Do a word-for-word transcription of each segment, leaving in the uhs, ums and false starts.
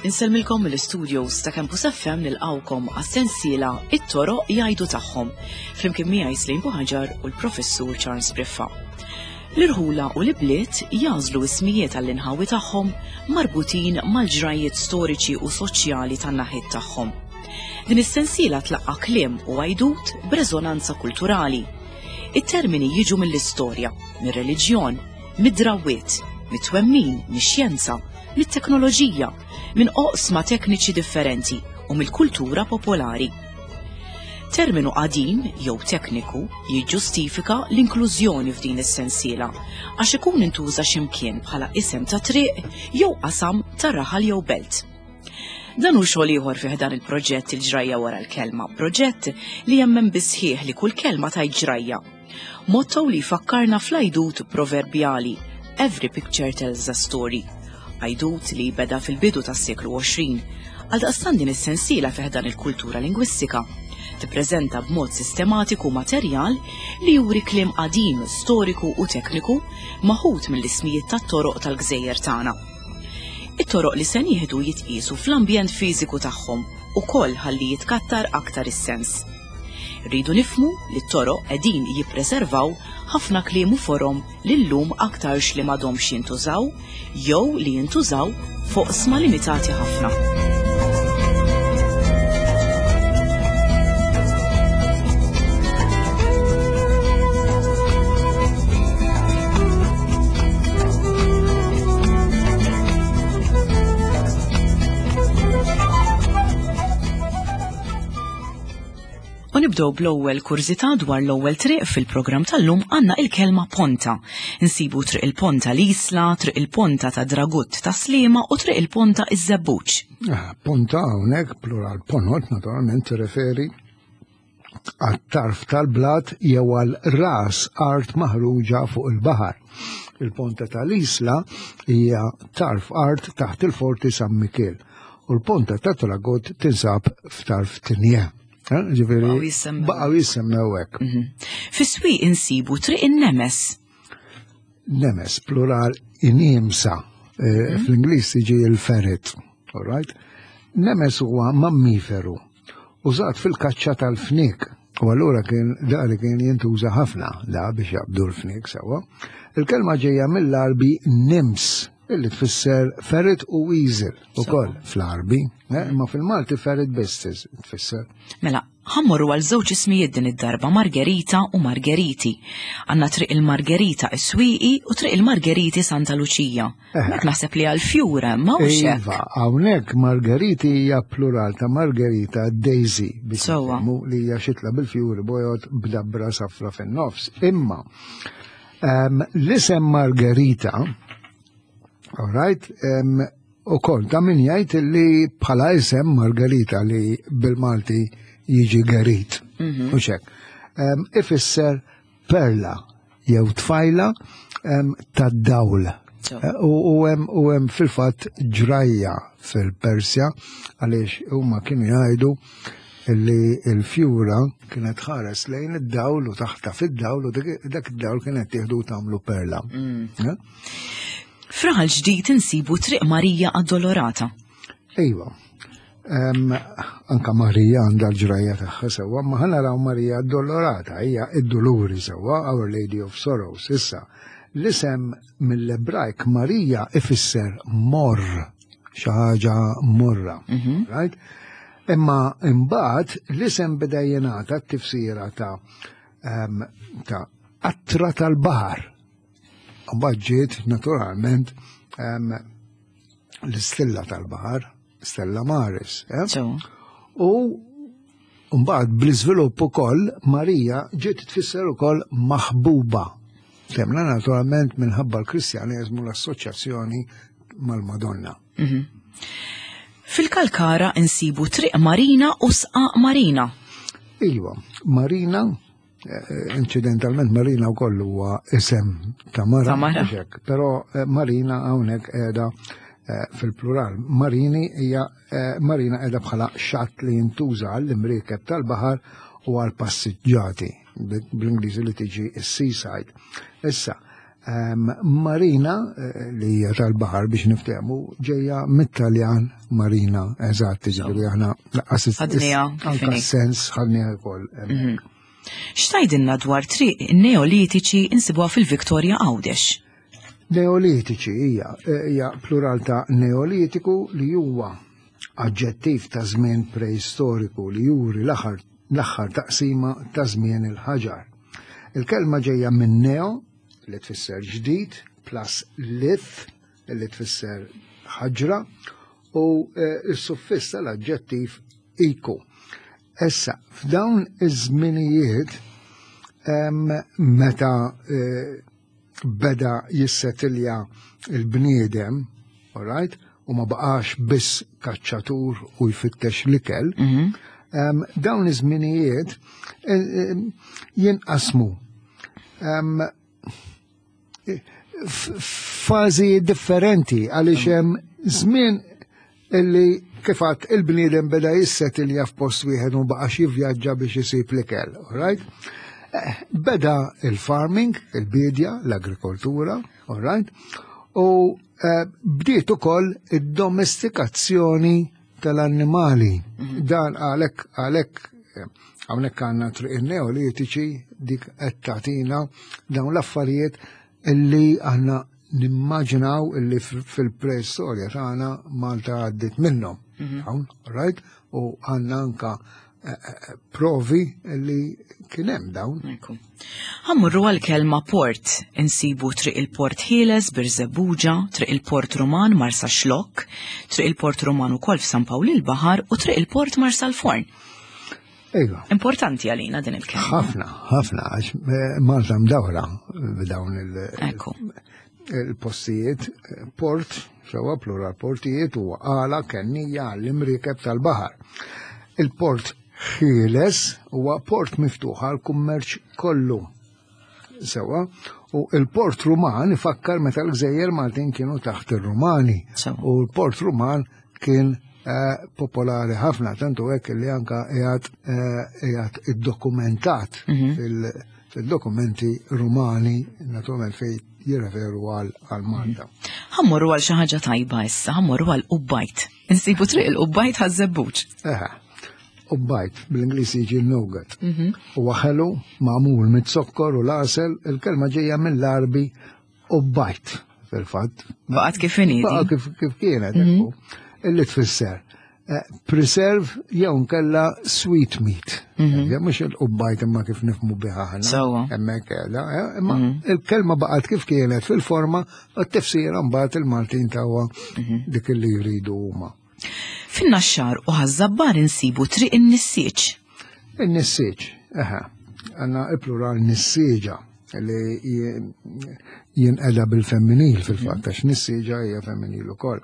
Insellmilkom mill-studios ta' Campus F M nilqawkom għas-sensiela It-Toroq Jgħidu Tagħhom, flimkien miegħi Slim Buħaġar u l-Professur Charles Briffa. L-irħula u l-ibliet jażlu ismijiet għall-inħawi tagħhom marbutin mal-ġrajiet storiċi u soċjali tan-naħiet tagħhom. Din is-sensiela tlaqqa' kliem u għajdut b'reżonanza kulturali. It-termini jiġu mill-istorja, mir-reliġjon, mid-drawwiet, mit-twemmin, mix-xjenza, mit-teknoloġija, minn oqsma tekniċi differenti u mill-kultura popolari. Terminu qadim jew tekniku jiġġustifika l-inklużjoni f'din is-sensiela għax ikun intuża x'imkien bħala isem ta' triq jew qasam ta' raħal jew belt. Dan hu xogħol ieħor fih dan il-proġett Il-Ġrajja Wara l-Kelma, proġett li jemmen bisħieħ li kull kelma tajt ġrajja. Motto li jfakkarna fl-għajdut proverbjali Every picture tells a story. Għajdut li beda fil-bidu tas-seklu għoxrin, għaldaqstant din is-sensiela fih dan il-kultura lingwistika tippreżenta b'mod sistematiku materjal li juri kliem qadim, storiku u tekniku maħud mill-ismijiet tat-toroq tal-gżejjer tagħna. It-toroq li se nieħdu jitqiesu fl-ambjent fiżiku tagħhom ukoll ħalli jitkattar aktar is-sens. Rridu nifhmu li t-toroq qegħdin jippreservaw ħafna kliem u forom li llum aktarx li m'għadhomx jintużaw jew li jintużaw fuq sma limitati ħafna. U nibdew bl-ewwel kurżità dwar l-ewwel triq fil-programm tal-lum għandna il-kelma Ponta. Insibu triq il-Ponta l-Isla, triq il-Ponta ta' Dragut ta' Sliema u triq il-Ponta iż-Żebbuġ. Ah, Ponta hawnhekk plural ponot naturalment tirreferi għat-tarf tal-blat jew għal ras art maħruġa fuq il-baħar. Il-Ponta tal-Isla hija tarf art taħt il-Forti San Mikiel u l-Ponta ta' Dragut tinsab f'tarf Tinja. Eh, ġifieri, Baqgħu jissemmew. baqgħu jissemmew hekk. Mhm. Fis-swieq insibu triq in-Nemes. Nemes, plural inimsa. Eh, Mhm. Fl-Ingliż tiġi il-ferret. All right? Nemes huwa mammiferu użat fil-kaċċa tal-fniek. U allura kien da li kien jintuża ħafna da biex jaqbdu l-fniek sewwa. Il-kelma ġejja mill-Arbi nims, illi tfisser ferret u weasel ukoll fl-Arbi, eh, imma fil-Malti ferret biss tfisser. Mela, ħammorru għal żewġ ismijiet din id-darba, Margherita u Margheriti. Għandna triq il-Margherita is-Swieqi u triq il-Margheriti Santa Luċija. Eh. Mek naħseb li għal fjura, ma hux hekk. Iva, hawnhekk Margheriti hija plural ta' Margherita Daisy biex Sewwa. nifhmu li hija xitla bil-fjuri bojod b'dabra safra fin-nofs. Imma ehm, l-isem Margherita, all right, ehm, u kol, ta' min jgħid li bħala isem Margherita li bil-Malti jiġi Gerit, Mhm. u xek. Ehm, ifisser perla jew tfajla, ehm, tad-dawl. So. Eh, u, u hemm, u hemm fil-fatt ġrajja fil-Persja għaliex huma kienu jgħidu li l-fjura kienet ħares lejn id-dawl u taħta fid-dawl u dik, dak id-dawl kienet tieħdu u tagħmlu perla. Mm. Eh? F'Raħal Ġdid insibu Triq Marija Addolorata. Iva. Em, anka Marija għandha l-ġrajja tagħha sewwa, ma ħa naraw Marija Addolorata, hija id-Duluri sewwa, Our Lady of Sorrows. Issa, l-isem mill-Ebrajk Marija ifisser morr, xi ħaġa morra, Mhm. right? Imma imbagħad l-isem beda jingħata t-tifsira ta', em, ta' qatra tal-baħar. Mbagħad ġiet naturalment, em, l-istilla tal-baħar, Stella Maris. Eh? So. U mbagħad bl-iżvilupp ukoll Marija ġiet tfisser ukoll maħbuba. Temna naturalment minħabba l-Kristjaneżmu l-assoċjazzjoni mal-Madonna. Mhm. Fil-Kalkara insibu Triq Marina u Sqaq Marina. Iva, Marina, eh, incidentalment Marina wkoll huwa isem ta' mara, Ta' mara. mhux hekk, però, eh, Marina hawnhekk qiegħda, eh, fil-plural. Marini hija, eh, Marina qiegħda bħala xatt li jintuża għall-imriekeb tal-baħar u għall-passiġġati. bl-Ingliż li tiġi s-seaside. Issa, marina li hija tal-baħar biex niftehmu ġejja mit-Taljan marina, eżatt, ġifieri aħna anka sens ħadniha wkoll. X'tgħidilna dwar triq neolitiċi insibuha fil-Viktorja Għawdex? Neolitiċi hija hija plural ta' neolitiku li huwa aġġettiv ta' żmien preistoriku li juri l-aħħar l-aħħar taqsima ta' żmien il-ħaġar. Il-kelma ġejja minn neo, li tfisser ġdid, plus lith, li tfisser ħaġra, u s-suffiss tal-aġġettiv iku. Issa, f'dawn iż-żminijiet meta beda jissetilja il-bniedem, all right, u ma baqax biss kaċċatur u jfittex l-ikel, dawn iż-żminijiet jinqasmu f'fażi differenti għaliex hemm żmien illi kif għadt il-bniedem beda jissetilja f'post wieħed u baqax jivvjaġġa biex isib l-ikel, all right? Beda il-farming, il-bidja, l-agrikoltura, all right? U bdiet ukoll id-domestikazzjoni tal-annimali. Dan għalhekk għalhekk hawnhekk għandna triq in-neolitiċi dik qed tagħtina dawn l-affarijiet illi aħna nimmaġinaw illi fil-preistorja tagħna Malta għaddiet minnhom. Hawn, right? U għandna anka provi li kien hemm dawn. Ħa mmorru għal-kelma port, insibu triq il-Port Ħieles, Birżebbuġa, triq il-Port Ruman, Marsaxlokk, triq il-Port Ruman ukoll f'San Pawl il-Baħar u triq il-Port Marsalforn. Iva. Importanti għalina din il-kelma. Ħafna, ħafna, għax Malta mdawra b'dawn Ekku. il-postijiet, port, sewa plural portijiet u għala kennija għall-imriekeb tal-baħar. Il-port ħieles huwa port miftuħ għal kummerċ kollu. Sewa, u il-port Ruman ifakkar meta l-gżejjer Maltin kienu taħt ir-Rumani. U l-port Ruman kien eh, popolari ħafna, tantu hekk li anka qiegħed eh, iddokumentat mhm. fil-dokumenti Rumani, naturalment fej jirreferu għal Malta. Ħa mmorru għal xi ħaġa tajba issa, ħa mmorru għal qubbajt. Insibu triq il-qubbajt Ħaż-Żebbuġ. Eħe, qubbajt bl-Ingliż jiġi nougat. Mhm. Huwa ħelu magħmul mit-zokkor u l-għasel, il-kelma ġejja mill-Arbi qubbajt fil-fatt. Baqgħet kif inhi. Baqgħet kif kif kienet, mhm. illi tfisser eh, preserve jew nkella sweet meat. Mm Mhux il-qubbajt imma kif nifhmu biha aħna. Sewwa. Hemmhekk qiegħda, eh, imma mhm. il-kelma baqgħet kif kienet fil-forma u t-tifsira mbagħad il-Maltin tawha mhm. dik li jridu huma. Fin-Naxxar u Ħaż-Żabbar insibu triq in-nissieġ. In-nissieġ, eħe, għandna il-plural nissieġa li jinqeda bil-femminil fil-fatt, għax nissieġa hija femminil ukoll.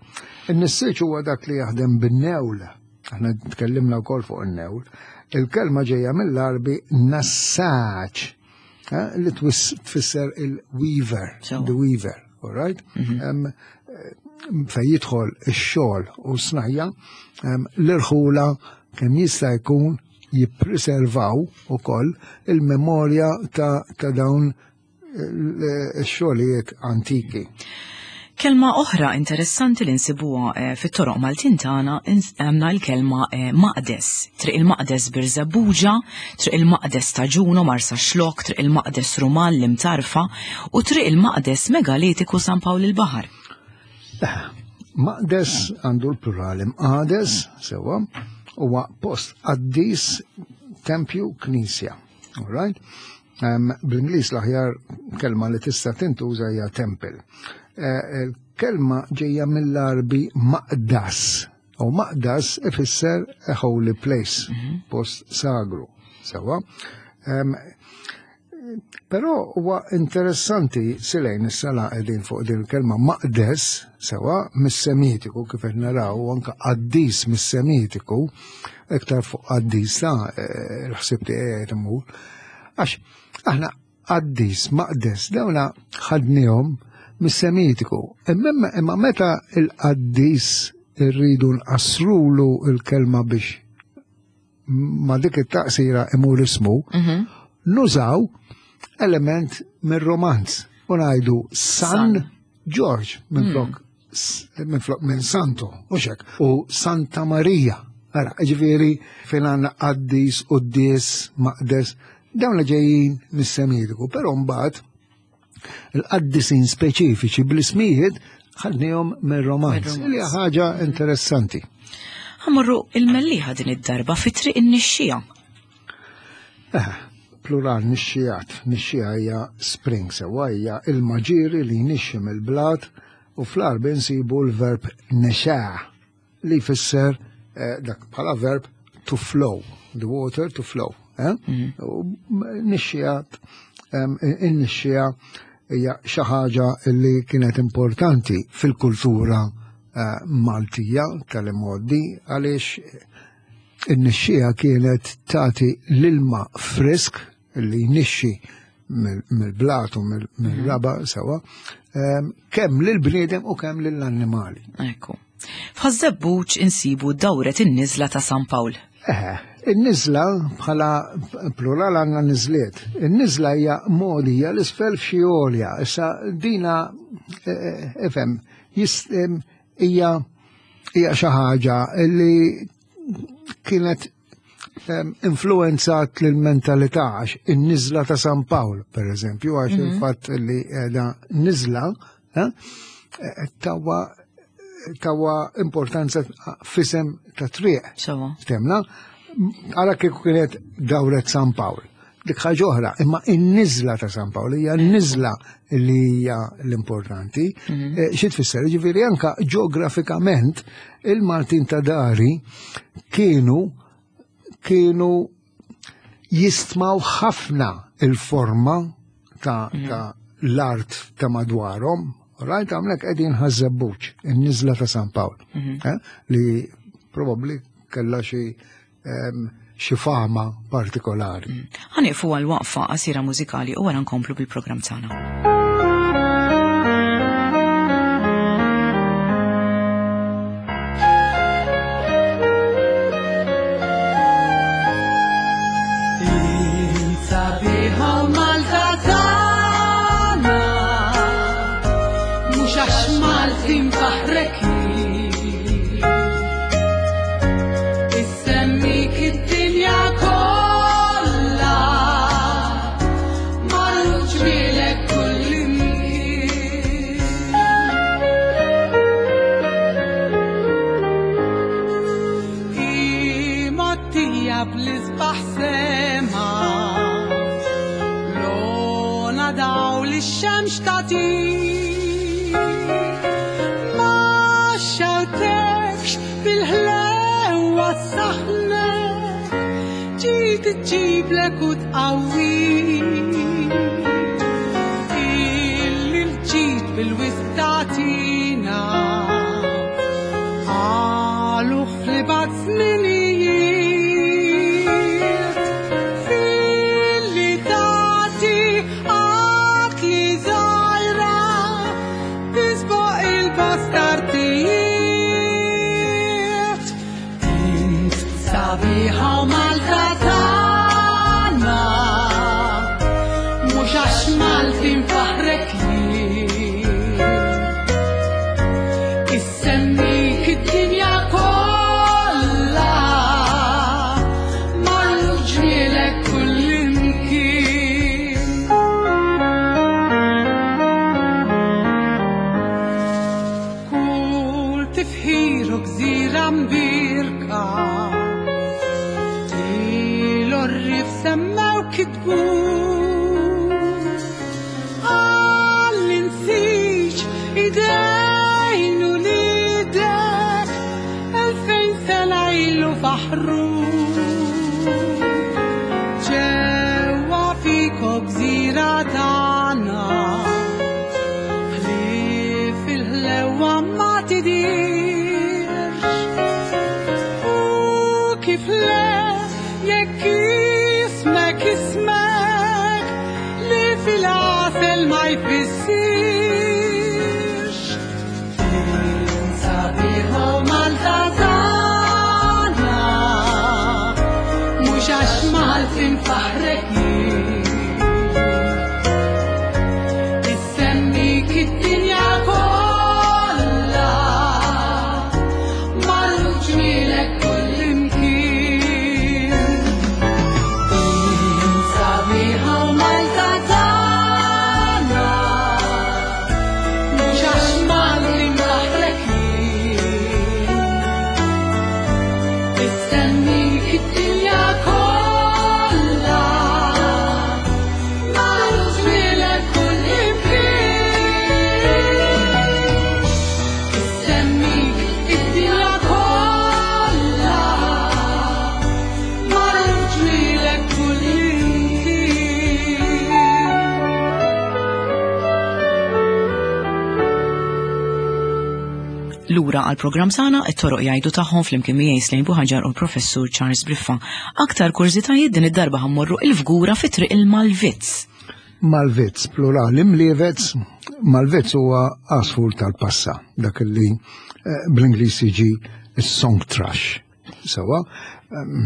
In-nissieġ huwa dak li jaħdem bin-newl. Aħna tkellimna wkoll fuq in-newl. Il-kelma ġejja mill-Arbi nassaġ, eh, li tfisser il-weaver, the weaver, all right? Mhm. Fej jidħol ix-xogħol u snajja, l-irħula kemm jista' jkun jippreservaw ukoll il-memorja ta', ta dawn ix-xogħlijiet antiki. Kelma oħra interessanti li nsibuha eh, fit-toroq Maltin tagħna għandna l-kelma eh, maqdes. Triq il-Maqdes Birżebbuġa, triq il-Maqdes ta' Ġuno Marsaxlokk, triq il-Maqdes Ruman l-Imtarfa u triq il-Maqdes Megalitiku San Pawl il-Baħar. Maqdes għandu l-plural imqades, sewa, huwa post qaddis tempju knisja. All right? Um, Bl-Ingliż l-aħjar kelma li tista' tintuża hija temple. Eh, il-kelma ġejja mill-Arbi maqdas. U maqdas ifisser a holy place, mm -hmm. post sagru. Sewa. Um, Però huwa interessanti silejn is-sala qegħdin fuq din il-kelma maqdes sewa mis-Semitiku kif qed naraw u anke qaddis mis-Semitiku iktar fuq qaddis ta' eh, l-ħsieb tiegħi qed imur. Għax aħna qaddis, maqdes, dawna ħadnihom mis-Semitiku. Imma imma meta il-qaddis irridu nqassrulu il-kelma biex ma dik it-taqsira imur ismu, mhm. Nużaw element mir-romanz u ngħidu San George minflok minflok minn Santo, u xek, u Santa Maria. Ara, ġifieri fejn għandna qaddis, qudies, maqdes, dawn li ġejjin mis-Semitiku, però mbagħad il-qaddisin speċifiċi bl-ismijiet ħadnihom mir-romanz, li hija ħaġa interessanti. Ħa mmorru il-Mellieħa din id-darba fi triq in-Nixxija. Eh, plural nixxijat, nixxija hija spring, sewwa hija il-maġiri li jnixxi mill-blat, u fl-Għarbi nsibu l-verb nexaa li jfisser eh, dak bħala verb to flow, the water to flow. Eh? U nixxijat, in-nixxija hija xi ħaġa li kienet importanti fil-kultura eh, Maltija tal-imgħoddi, għaliex in-nixxija kienet tagħti l-ilma frisk li jnixxi mill-blat u mill-raba sewa, kemm lill-bniedem u kemm lill-annimali. Ekku. F'Ħaż-Żebbuġ insibu dawret in-niżla ta' San Pawl. Eh, in-niżla bħala plural għandna niżliet. In-niżla hija mogħdija l-isfel f'xi għolja. Issa dina ifhem hija hija xi ħaġa li kienet influenzat l-mentalità, għax in-niżla ta' San Pawl, per eżempju, għax il-fatt li qiegħda niżla tawa tawa importanza fisem ta' triq. Temna, għara kieku kienet dawret San Pawl. Dik ħaġa oħra, imma in-niżla ta' San Pawl hija n-niżla li hija l-importanti. Xi tfisser? Ġifieri anka ġeografikament il-Maltin ta' dari kienu kienu jistmaw ħafna il-forma ta' l-art ta' madwarhom. Rajt għamlek qegħdin Ħaż-Żebbuġ, in-niżla ta' San Pawl, li probabbli kellha xi xi fama partikolari. Ħa nieqfu għal waqfa qasira mużikali u wara nkomplu bil-programm tagħna. تجيب لك وتقوي اللي جيت بالوسط تعطينا قالوا خلبات سنينيت في اللي تعطي عقلي زايرة تسبق البسترتيت انت صبيحة ومالتا Maltin faħrek. Lura għal programm sana it-toroq jgħidu tagħhom flimkien miegħi Slejn Buħaġar u l-Professur Charles Briffa. Aktar kurżitajiet din id-darba ħa mmorru il-Fgura fi triq il-Malvizz. Malvizz, plural, imlievez, Malvizz huwa għasfur tal-passa, dak li eh, bl-Ingliż jiġi song thrush. Sewa, ehm,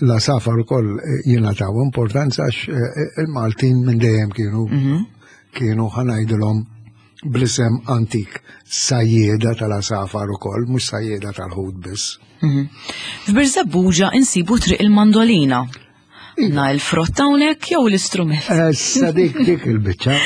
l-għasafar ukoll jingħataw importanza għax eh, il-Maltin minn dejjem kienu mhm. kienu ħa ngħidilhom bl-isem antik sajjeda tal-għasafar ukoll, mhux sajjeda tal-ħut biss. Mhm. F'Birżebbuġa insibu triq il-mandolina. Na il-frott hawnhekk jew l-istrument? Issa dik dik il-biċċa.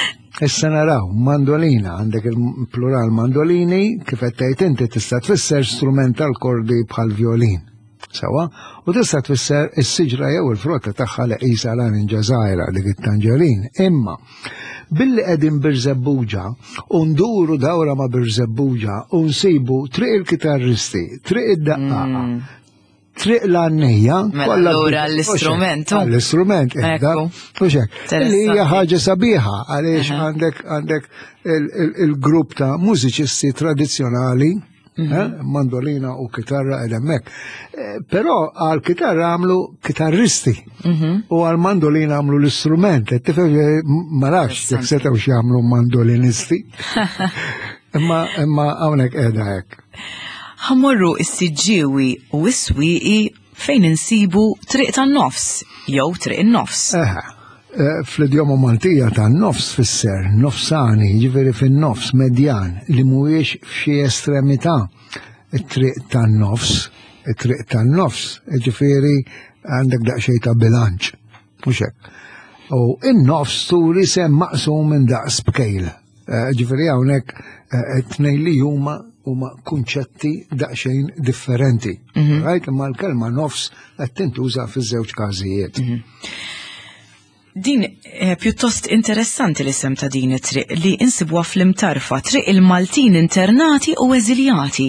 Issa naraw, mandolina, għandek il-plural mandolini, kif qed tgħid inti tista' tfisser strument tal-kordi bħal violin. Sewa, u tista' tfisser is-siġra jew il-frotta tagħha li qisha larinġa żgħira dik it-tanġerin. Imma billi qegħdin Birżebbuġa u nduru dawra ma' Birżebbuġa u nsibu triq il-kitarristi, triq id-daqqaqa, mm. triq l-għannejja. Mela allura l-istrument. L-istrument, Li hija ħaġa sabiħa għaliex għandek għandek il-grupp ta' mużiċisti tradizzjonali mhm. eh, mandolina u kitarra ed hemmhekk. Eh, però għal kitarra għamlu kitarristi mhm. u għal mandolina għamlu l-istrument. Tifhem eh, ma nafx jekk setgħu jagħmlu mandolinisti. Imma imma hawnhekk qiegħda hekk. Ħa mmorru is-Siġġiewi u s-Swieqi fejn insibu triq tan-nofs jew triq in-nofs. Eħe, eh, fl-idjoma Maltija tan-nofs fisser nofsani, ġifieri fin-nofs medjan li mhuwiex f'xi estremità. It-triq tan-nofs, it-triq tan-nofs, ġifieri għandek daqsxejn ta' bilanċ. Mhux hekk. U in-nofs turi sem maqsum minn daqs bkejl. Eh, ġifieri hawnhekk eh, it-tnejn li huma huma kunċetti daqsxejn differenti. Mhm. Right? Imma l-kelma nofs qed tintuża fiż-żewġ każijiet. Mhm. Din eh, pjuttost interessanti l-isem ta' din it-triq li insibuha fl-Imtarfa, triq il-Maltin internati u eżiljati.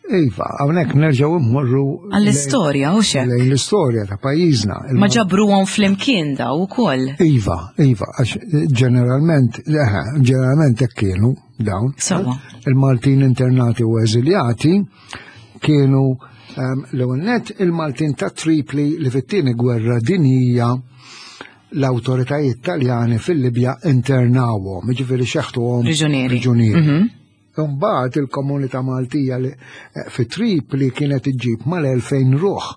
Iva, hawnhekk nerġgħu mmorru għall-istorja u xek. Lejn l-istorja ta' pajjiżna. Ma ġabruhom flimkien daw ukoll. Iva, iva, għax ġeneralment, eħe, ġeneralment hekk kienu dawn. Sawa. Il-Maltin internati u eżiljati kienu um, l-ewwel nett il-Maltin ta' Tripli li fit-tieni gwerra dinjija l-awtoritajiet Taljani fil-Libja internawhom, jiġifieri xeħtuhom Priġunieri. priġunieri. Mhm. Imbagħad il-komunità Maltija li eh, fi Tripli kienet iġġib mal-elfejn ruħ.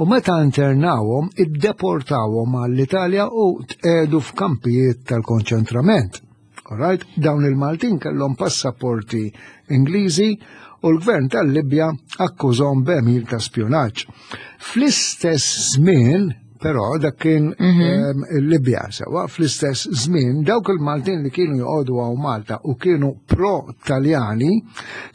U meta internawhom, iddeportawhom għall-Italja u tqegħdu f'kampijiet tal-konċentrament. Alright? Dawn il-Maltin kellhom passaporti Ingliżi u l-gvern tal-Libja akkużhom b'għemil ta' spjunaġġ. Fl-istess żmien, però dak kien mhm. ehm, il-Libja sewa, fl-istess żmien dawk il-Maltin li kienu joqogħdu hawn Malta u kienu pro-Taljani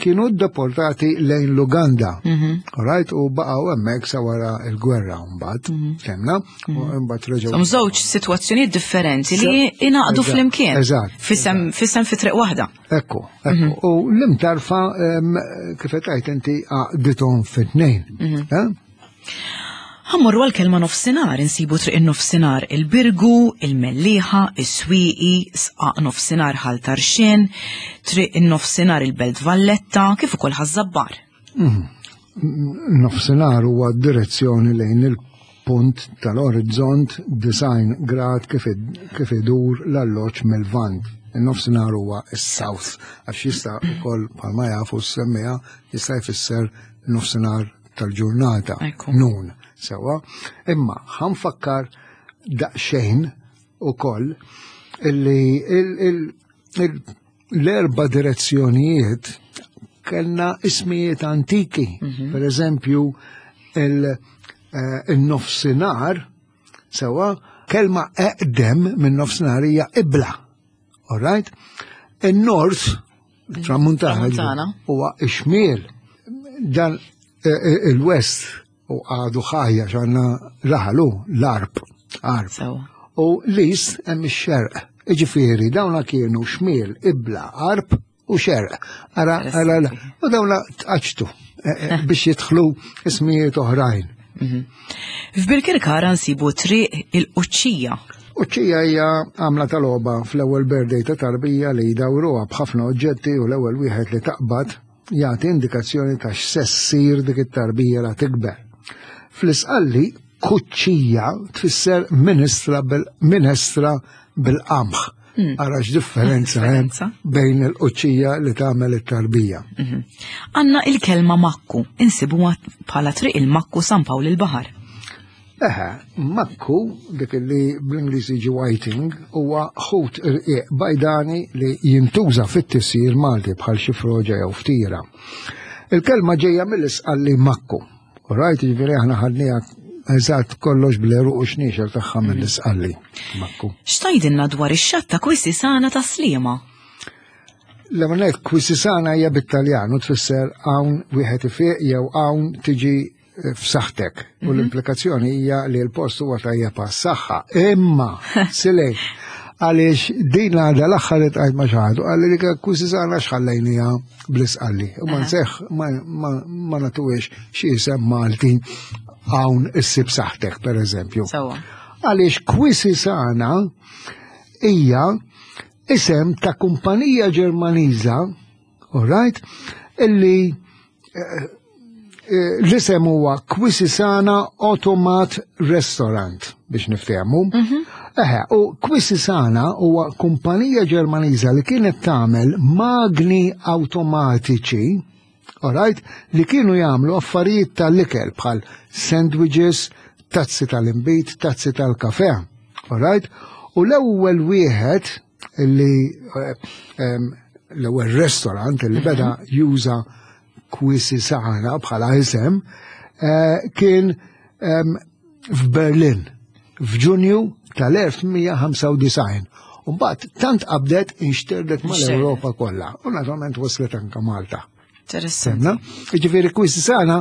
kienu deportati lejn l-Uganda. Mhm. Alright, u baqgħu hemmhekk sa wara l-gwerra mbagħad, Mhm. kemna, u mbagħad reġgħu. Żewġ sitwazzjonijiet differenti li ingħaqdu Eżatt, flimkien. eżatt, Fisem fisem fi triq waħda. Ekku, ekku. U l-Imtarfa ehm, kif qed tgħid inti għaqdithom fit-tnejn. Eh? Ħa mmorru għal-kelma nofsinhar, insibu triq in-nofsinhar il-Birgu, il-Mellieħa, is-Swieqi, sqaq nofsinhar Ħal Tarxien, triq in-nofsinhar il-Belt Valletta, kif ukoll Ħaż-Żabbar. Nofsinhar huwa direzzjoni lejn il-punt tal-orizzont disgħin grad kif id- kif idur l-alloġġ mill-Lvant. Il-nofsinhar huwa is-south, għax jista' ukoll bħalma jafu s-semmija jista' jfisser nofsinhar tal-ġurnata, Ekku. Noon, sewa. Imma ħa nfakkar daqsxejn ukoll illi il- il- il- l-erba direzzjonijiet kellna ismijiet antiki. Per eżempju, il- eh, il-nofsinhar, sewa, kelma eqdem minn nofsinhar hija ibla. All right? Il-north, tramuntana, Tramuntana. huwa ixmiel. Dan eh, eh, il-west u għadu ħajja x'għandna raħalu l-arb, arb. Sewa. U l-east hemm ix-xerq. Iġifieri dawna kienu xmiel, ibla, arb u xerq. Ara, ara, u dawna tqaċtu eh, eh, biex jidħlu ismijiet oħrajn. F'Birkirkara nsibu triq il-Quċċija. Uċċija hija għamla tal-logħba fl-ewwel birthday ta' tarbija li jdawruha b'ħafna oġġetti u l-ewwel wieħed li taqbad jagħti indikazzjoni ta' x'se ssir dik it-tarbija la tikber. Fl-Isqalli kuċċija tfisser ministra bil-minestra bil-qamħ. Ara x'differenza hemm Differenza. bejn il-quċċija li tagħmel it-tarbija. Għandna il-kelma makku, insibuha bħala Triq il-Makku, San Pawl il-Baħar. Eħe, makku, dik li bl-Ingliż jiġi whiting, huwa ħut irqiq bajdani li jintuża fit-tisjir Malti bħal xi froġa jew ftira. Il-kelma ġejja mill-Isqalli makku. Right, ġifieri aħna ħadniha eżatt kollox bl-għeruq u xniexel tagħha mill-Isqalli. Makku. X'tgħidilna dwar ix-xatt ta' Quisisana ta' Sliema? L-għamanet Quisisana hija bit-Taljan u tfisser hawn wieħed ifiq jew hawn tiġi eh, f'saħħtek. U l-implikazzjoni hija li l-post huwa tajjeb għas-saħħa. Imma, silej, għaliex din għadha l-aħħar li tqajt ma' xi ħadd, qalli li Quisisana x'ħallejnija bl-Isqalli. U ma nseħ ma, ma, ma nagħtuhiex xi isem Malti, hawn issib saħħtek, per eżempju. Sewwa. Għaliex Quisisana hija isem ta' kumpanija Ġermaniża, all right, illi eh, eh, l-isem huwa Quisisana Automat Restaurant biex niftehmu. Eħe, u Quisisana huwa kumpanija Ġermaniża li kienet tagħmel magni awtomatiċi, all right, li kienu jagħmlu affarijiet tal-ikel bħal sandwiches, tazzi tal-imbit, tazzi tal-kafe. All right? U l-ewwel wieħed li eh, em, l-ewwel restaurant li beda juża Quisisana bħala isem eh, kien em, f'Berlin f'Ġunju tal-elf tmien mija ħamsa u disgħin. Umbagħad tant qabdet, inxterdet mal-Ewropa kollha u naturalment waslet anka Malta. Interessanti. Semna? Ġifieri Quisisana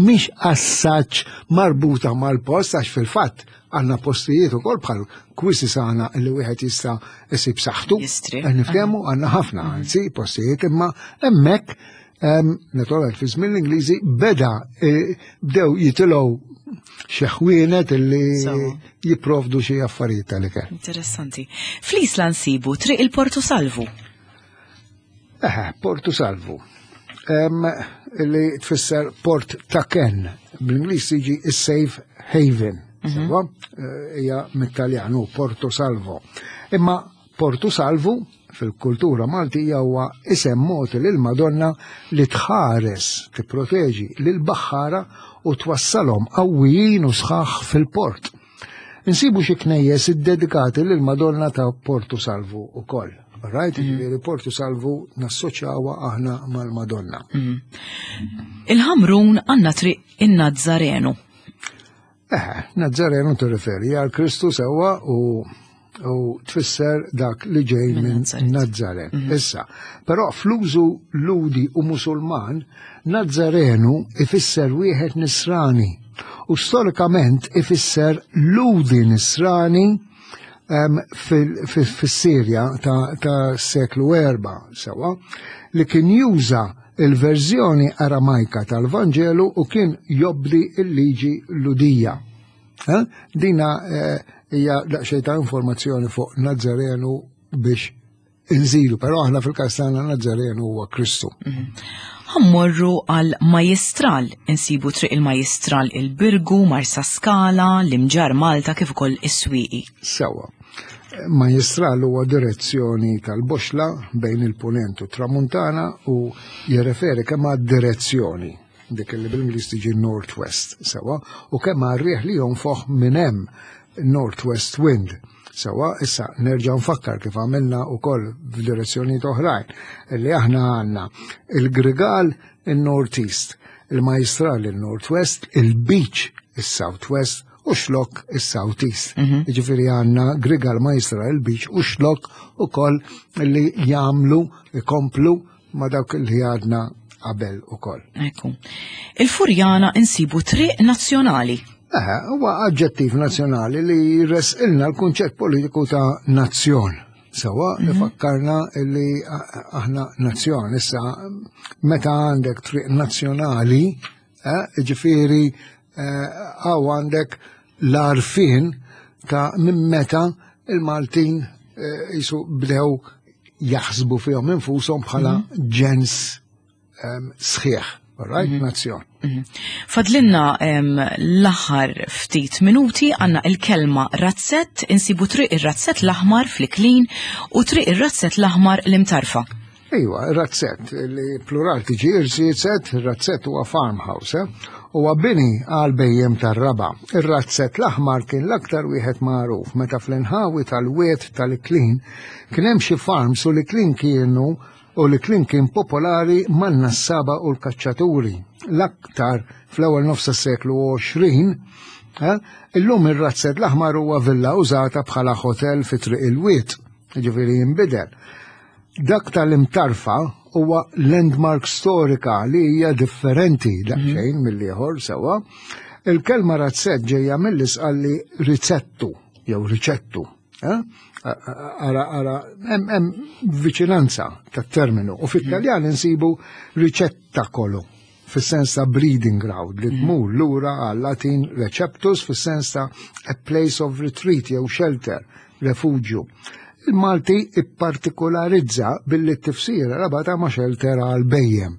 mhix assaċ marbuta mal-post, għax fil-fatt għandna postijiet ukoll bħal Quisisana li wieħed jista' isib saħħtu. Jistri. Niftehmu għandna ħafna anzi postijiet, imma hemmhekk em, naturalment fi żmien l-Ingliżi beda eh, bdew jitilgħu xi ħwienet illi Sewwa. jipprovdu xi affarijiet tal-ikel. Interessanti. Fl-Isla nsibu Triq il-Portu Salvu. Eħe, Portu Salvu. Em, li tfisser port ta' ken. Bl-Ingliż jiġi safe haven. Sewwa? Eh, Hija mit-Taljanu Porto Salvo. Imma Portu Salvu fil-kultura Maltija huwa isem mogħti lil Madonna li tħares, tipproteġi lil baħħara u twassalhom qawwijin u sħaħ fil-port. Insibu xi knejjes iddedikati lil Madonna ta' Portu Salvu ukoll. Right, ġifieri Portu Salvu nassoċjawha aħna mal-Madonna. Il-Ħamrun għandna Triq in-Nazzarenu. Eh, Nazzarenu tirreferi għal Kristu, sewwa, u u tfisser dak li ġej Minn minn Nazzaret. Nazzaret. Issa, però fl-użu Lhudi u Musulman, Nazzarenu ifisser wieħed nisrani u storikament ifisser Lhudi nisrani em, fil- fil- fis-Sirja ta', ta seklu erba, sewwa, li kien juża il-verżjoni Aramajka tal-Vanġelu u kien jobdi il-liġi Lhudija. Eh? Dina eh, hija daqsxejn ta' informazzjoni fuq Nazzarenu biex inżidu, però aħna fil-każ tagħna Nazzarenu huwa Kristu. Ħa mmorru għal Majestral, insibu Triq il-Majestral il-Birgu, Marsa Skala, l-Imġar Malta kif ukoll is-Swieqi. Sewwa. Majestral huwa direzzjoni tal-boxla bejn il-punent u tramuntana u jirreferi kemm għad direzzjoni dik li bil-Ingliż tiġi Northwest, sewwa, u kemm għar-riħ li jonfoħ minn hemm, Northwest Wind. Sewwa, issa nerġa' nfakkar kif għamilna wkoll f'direzzjonijiet oħrajn li aħna għandna il-Grigal il-Northeast, il-Majestral il-Northwest, il-Beach il-Southwest u Xlokk il-Southeast. Ġifieri għandna Grigal, Majestral, il-Beach u Xlokk ukoll li jagħmlu, ikomplu ma dawk li għadna qabel ukoll. Ekku. Il-Furjana insibu Triq Nazzjonali. Eh, huwa aġġettiv nazzjonali li jresqilna l-kunċett politiku ta' nazzjon. Sewwa, li fakkarna li aħna nazzjon. Issa, meta għandek triq nazzjonali, eh, ġifieri għaw għandek l-għarfien ta' minn meta il-Maltin eh, jisu bdew jaħsbu fihom infushom bħala ġens em, sħiħ, all right, nazzjon. Fadlinna em, l-aħħar ftit minuti, għandna il-kelma razzett, insibu Triq ir-Razzett l-Aħmar fl-Iklin u Triq ir-Razzett l-Aħmar l-Imtarfa. Iwa, razzett, li plural tiġi irziezet, razzett huwa farmhouse, eh? Huwa bini għal bhejjem tar-raba'. Ir-Razzett l-Aħmar kien l-aktar wieħed magħruf meta fl-inħawi tal-wied tal-Iklin kien hemm xi farms u l-Iklin kienu u l-Iklin kien popolari man-nassaba u l-kaċċaturi. L-aktar fl-ewwel nofs seklu għoxrin, eh? Illum ir-Razzett l-Aħmar huwa villa użata bħala hotel fi Triq il-Wied, ġifieri jinbidel. Dak tal-Imtarfa huwa landmark storika li hija differenti daqsxejn mill-ieħor sewwa. Il-kelma razzett ġejja mill-Isqalli rizzettu jew riċettu. Eh? Ara, ara, hemm hemm viċinanza tat-terminu. U fit-Taljan insibu ricettacolo fis-sens ta' breeding ground li tmur lura għal Latin receptus fis-sens ta' a place of retreat jew shelter, refugju. Il-Malti ippartikolarizza billi t-tifsira rabata ma' shelter għal bhejjem.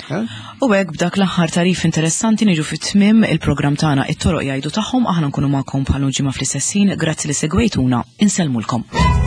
Eh? U hekk b'dak l-aħħar tagħrif interessanti niġu fit-tmim il-programm tagħna It-Toroq Jgħidu Tagħhom. Aħna nkunu magħkom bħal ġimgħa fl-istess ħin. Grazzi li segwejtuna, insellmulkom.